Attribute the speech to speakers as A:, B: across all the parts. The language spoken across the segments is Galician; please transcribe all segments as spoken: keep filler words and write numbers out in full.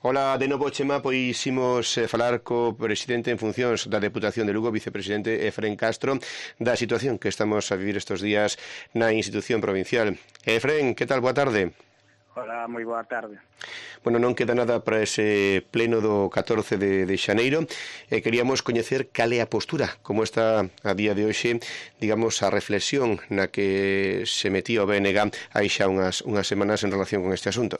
A: Ola, de novo, Chema, pois imos eh, falar co presidente en funcións da Deputación de Lugo, vicepresidente Efrén Castro, da situación que estamos a vivir estes días na institución provincial. Efrén, que tal? Boa tarde.
B: Hola, moi boa tarde.
A: Bueno, non queda nada para ese pleno do catorce de, de xaneiro e queríamos coñecer cal é a postura, como está a día de hoxe, digamos, a reflexión na que se metía o B N G hai xa unhas, unhas semanas en relación con este asunto.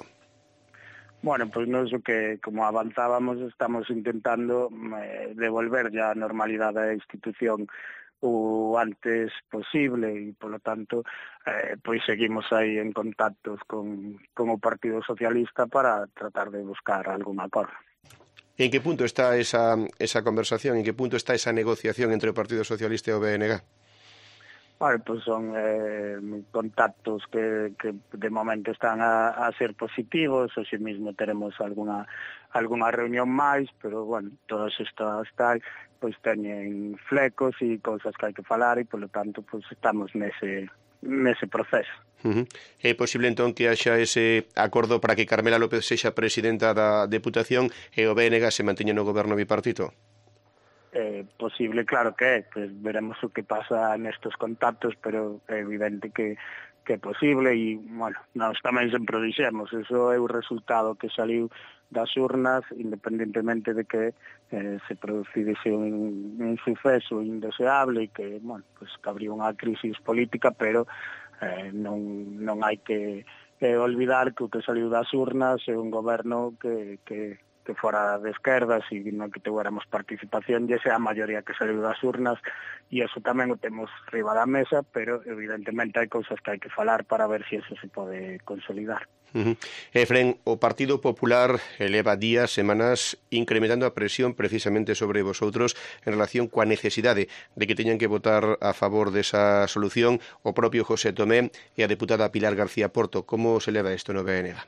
B: Bueno, pois pues nos o que, como avanzábamos, estamos intentando eh, devolver ya a normalidade da institución o antes posible e, polo tanto, eh, pois seguimos aí en contactos con, con o Partido Socialista para tratar de buscar algún acordo.
A: En que punto está esa, esa conversación? En que punto está esa negociación entre o Partido Socialista e o B N G?
B: Bueno, pues son eh, contactos que, que de momento están a, a ser positivos, hoxe mesmo teremos alguna alguna reunión máis, pero, bueno, todas estas tal, pois teñen flecos e cousas que hai que falar e, polo tanto, pois estamos nese, nese proceso.
A: Uh -huh. É posible, entón, que haxa ese acordo para que Carmela López sexa presidenta da Deputación e o B N G se manteña no goberno bipartito?
B: Eh, posible, claro que é, pues veremos o que pasa nestes contactos, pero é evidente que, que é posible e, bueno, nós tamén sempre o dixemos, eso é o resultado que saliu das urnas, independentemente de que eh, se producise un, un suceso indeseable e que, bueno, pues que habría unha crisis política, pero eh, non, non hai que eh, olvidar que o que saliu das urnas é un goberno que, que que fora de esquerdas e non que tuéramos participación, e esa é a maioría que saliu das urnas, e eso tamén o temos riba da mesa, pero evidentemente hai cousas que hai que falar para ver se eso se pode consolidar.
A: Uh -huh. Efrén, o Partido Popular eleva días, semanas, incrementando a presión precisamente sobre vosotros en relación coa necesidade de que teñan que votar a favor desa solución o propio José Tomé e a deputada Pilar García Porto. Como se leva isto no B N G?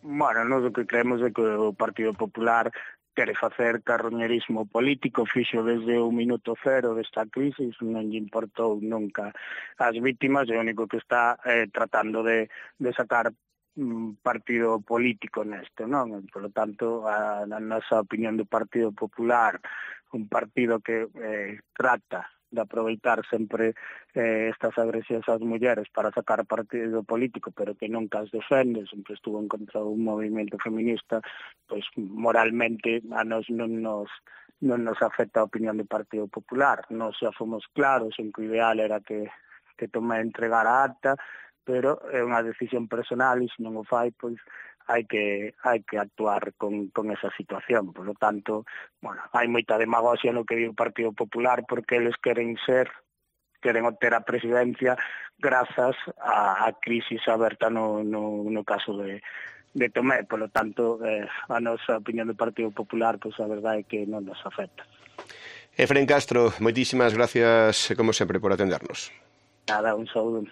B: Bueno, nós o que creemos é que o Partido Popular quere facer carroñerismo político, fixo desde o minuto cero desta crisis, non lle importou nunca as vítimas, é o único que está eh, tratando de, de sacar mm, partido político nesto, non? Por lo tanto, a, a nosa opinión do Partido Popular, un partido que eh, trata de aproveitar sempre eh, estas agresións ás mulleres para sacar partido político, pero que nunca as defende, sempre estuvo en contra un movimento feminista, pois moralmente a nos non nos non nos afecta a opinión do Partido Popular. Nos xa fomos claros en que o ideal era que, que tome a entregar a acta, pero é unha decisión personal e se non o fai, pois hai que hai que actuar con, con esa situación. Por lo tanto, bueno, hai moita demagogia no que di o Partido Popular porque eles queren ser, queren obter a presidencia grazas á, a crisis aberta no, no, no caso de, de Tomé. Por lo tanto, eh, a nosa opinión do Partido Popular, pois a verdade é que non nos afecta.
A: Efrén Castro, moitísimas gracias, como sempre, por atendernos.
B: Nada, un saúdo.